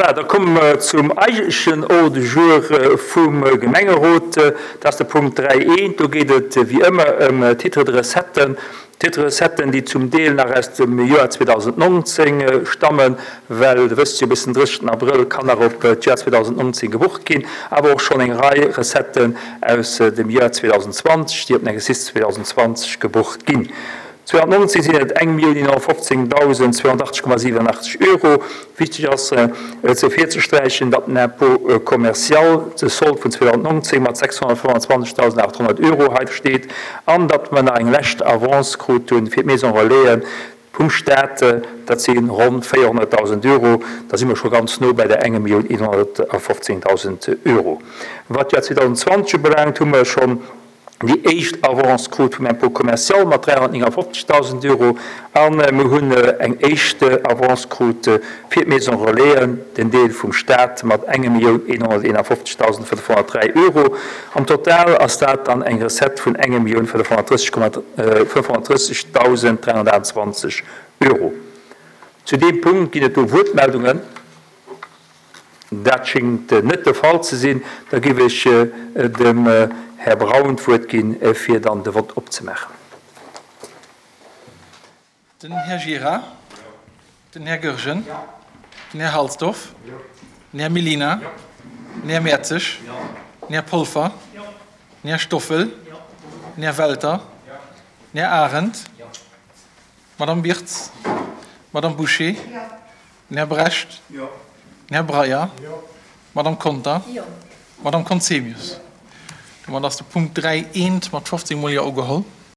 Voilà, da komme mer zum eigentlechen Ordre du jour vum Gemengerot. Dat ass de Punkt 3.1. Do geet et wéi ëmmer ëm Titres de recettes. Titres de recettes, déi zum Deel nach aus dem Joer 2019 stammen, well Der wësst jo, bis den 30. Abrëll kann nach op d'Joer 2019 gebucht ginn, awer och schonn eng Rei Recetten aus dem Joer 2020, déi op den Exercice 2020 gebucht ginn. 2019 sinn et 1.115.280,87 Euro. Wichteg ass ze ervirzesträichen, datt den Impôt commercial de Solde vun 2019 mat 625.800 Euro hei steet an datt mer nach eng lescht Avance krut hu fir d'Maison Relaisen vum Staat, dat si ronn 400.000 Euro. Da si mer scho ganz no bei der 1.115.000 Euro. Wat d'Joer 2020 ubelaangt, hu mer schonn déi éischt Avance krut vum Impôt commercial mat 359.000 Euro a mir hunn eng éischt Avance krut fir d'Maison Relaisen, den Deel vum Stat, mat 1.151.503 Euro. Am Total ass dat dann eng Recette vun 1.530.328 Euro. Zu deem Punkt ginn et do Wuertmeldungen. Dat schéngt net de Fall ze sinn. Da géif ech dem Här Braun d'Wuert ginn, fir dann de Vott opzemaachen. Den Här Gira. Den Här Goergen. Den Här Halsdorf. Den Här Mellina. Den Här Mertzig. Den Här Polfer. Den Här Stoffel. Den Här Welter. Den Här Arendt. D'Madame Birtz. D'Madame Bouché. Den Här Brecht. Den Här Breyer. D'Madame Conter. D'Madame Conzemius. Domat ass de Punkt 3 eent mat 15 mol Jo ugeholl.